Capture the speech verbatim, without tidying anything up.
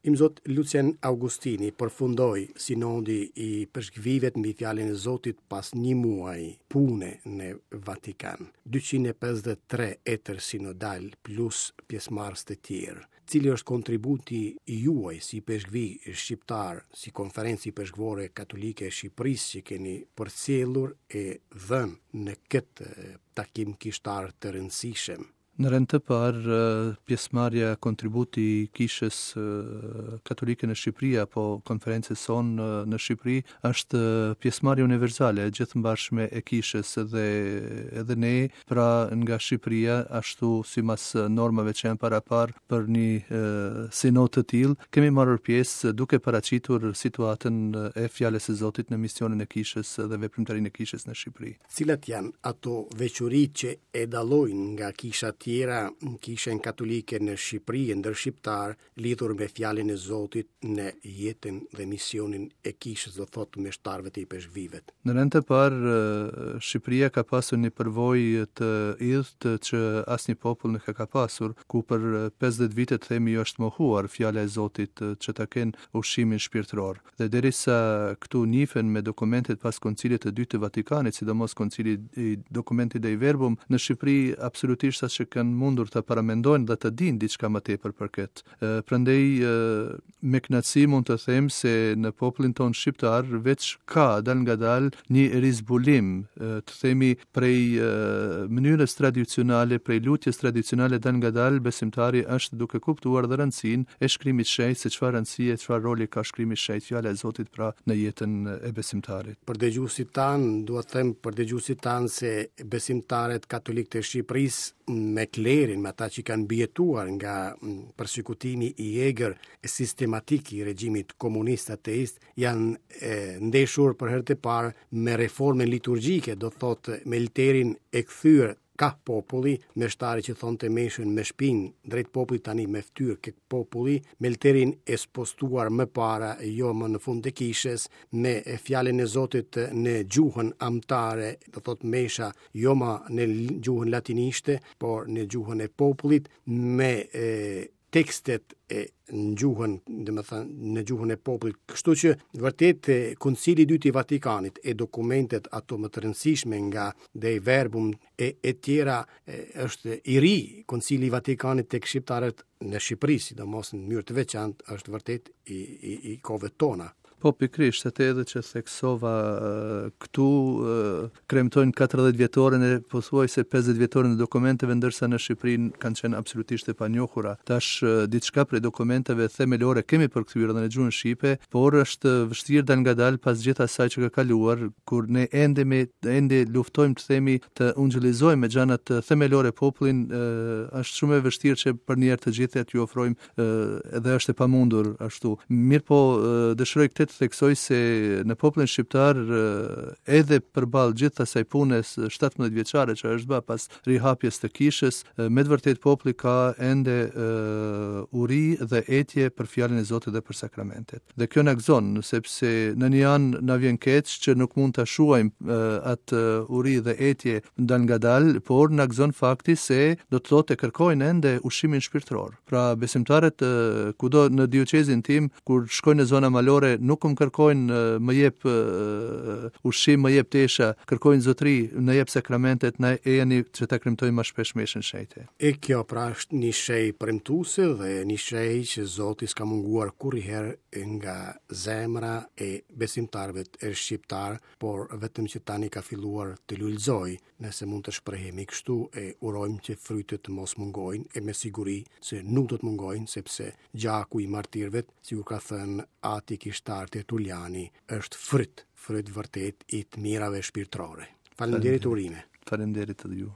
Imzot Lucien Augustini, përfundoi sinodi i peshkvivet mbi fjalën e Zotit pas një muaj pune në Vatikan. dyqind e pesëdhjetë e tre etër sinodal plus pjesëmarrës të tjerë. Cili është kontributi i juaj si peshkvi shqiptar, si Konferencë Ipeshkvore Katolike e Shqipërisë që keni përcjellur e dhënë në këtë takim kishtar të rëndësishëm? Në rend të parë, pjesëmarrja, kontributi i Kishës Katolike në Shqipëri apo konferencës sonë në Shqipëri është pjesëmarrje universale e gjithëmbarshme e kishës dhe edhe ne, pra nga Shqipëria, ashtu sipas normave që janë parapar për një sinod të tillë, kemi marrë pjesë duke paraqitur situatën e fjalës së Zotit në misionin e kishës dhe veprimtarinë e kishës në Shqipëri. Cilat janë ato veçoritë që e dallojnë nga kishat tjera Kishën Katolike në Shqipëri e ndër shqiptar lidhur me fjalën e Zotit në jetën dhe misionin e kishës, do thotë meshtarëve të ipeshkvivet? Në rend të parë, Shqipëria ka pasur një përvojë të idhtë që asnjë popull nuk e ka pasur, ku për pesëdhjetë vite, të themi, jo është mohuar fjala e Zotit që ta kenë ushqimin shpirtëror. Dhe derisa këtu njihen me dokumentet pas Koncilit të Dytë të Vatikanit, sidomos koncili i dokumentit Dei Verbum, në Shqipëri absolutisht as që kanë mundur të paramendojnë dhe të dinë diçka më tepër për këtë. Prandaj me kënaqësi mund të them se në popullin ton shqiptar veç ka dal ngadal një rizbulim, të themi, prej mënyrës tradicionale, prej lutjes tradicionale, dal ngadal besimtari është duke kuptuar dhe rëndësinë e shkrimit shenjt, se çfarë rëndësie, çfarë roli ka shkrimi shenjt, fjala e Zotit pra, në jetën e besimtarit. Për dëgjuesit tan, dua të them për dëgjuesit tan se besimtarët katolik të Shqipërisë me klerin, me ata që kanë mbijetuar nga persekutimi i egër e sistematik i regjimit komunist ateist, janë e, ndeshur për herë të parë me reformën liturgjike, do thotë me lterin e kthyer ka populli, meshtari që thonte meshën me shpinë drejt popullit, tani me fytyrë ke populli, me lterin e spostuar më para, jo më në fund të kishës, me fjalën e Zotit në gjuhën amtare, do thot mesha jo më në gjuhën latinishte, por në gjuhën e popullit, me e, tekstet e në gjuhën, dhe më thënë, në gjuhën e popullit. Kështu që vërtet Koncili i Dytë i Vatikanit e dokumentet ato më të rëndësishme nga Dei Verbum e, e tjera e, është i ri Koncili i Vatikanit tek shqiptarët në Shqipëri, sidomos në mënyrë të veçantë, është vërtet i, i, i kohëve tona. Po, pikërisht, atë edhe që theksova këtu, kremtojnë katërdhjetë vjetorin e pothuajse pesëdhjetë vjetorin e dokumenteve, ndërsa në Shqipëri kanë qenë absolutisht e panjohura. Tash diçka prej dokumenteve themelore kemi përkthyer edhe në gjuhën shqipe, por është vështirë dal ngadal pas gjithë asaj që ka kaluar, kur ne ende me ende luftojmë, të themi, të ungjillizojmë me gjërat themelore popullin, është shumë e vështirë që për një herë të gjithë t'ju ofrojmë, edhe është e pamundur ashtu. Mirë po, dëshiroj këtë të theksoj se në popullin shqiptar, edhe përballë gjithë asaj punës shtatëmbëdhjetë vjeçare që është bërë pas rihapjes të kishës, me të vërtet populli ka ende uri dhe etje për fjalën e Zotit dhe për sakramentet. Dhe kjo na gëzon, sepse në një anë na vjen keq që nuk mund ta shuajmë atë uri dhe etje dal ngadal, por na gëzon fakti se do të thotë e kërkojnë ende ushqimin shpirtëror. Pra, besimtarët kudo në dioqezin tim, kur shkojnë në zona malore, nuk më kërkojnë më jep ushqim, më jep tesha, kërkojnë zotri, në jep sakramentet, na ejani që ta kremtojmë më shpesh meshën shenjte. E kjo pra është një shenjë premtuese dhe një shenjë që Zoti s'ka munguar kurrëherë nga zemra e besimtarëve e shqiptar, por vetëm që tani ka filluar të lulëzojë, nëse mund të shprehemi kështu, e urojmë që frytet të mos mungojnë, e me siguri se nuk do të mungojnë, sepse gjaku i martirëve, si u ka thënë ati kishtar Tertuliani, është fryt, fryt vërtet i të mirave shpirtërore. Faleminderit, urime. Faleminderit edhe ju.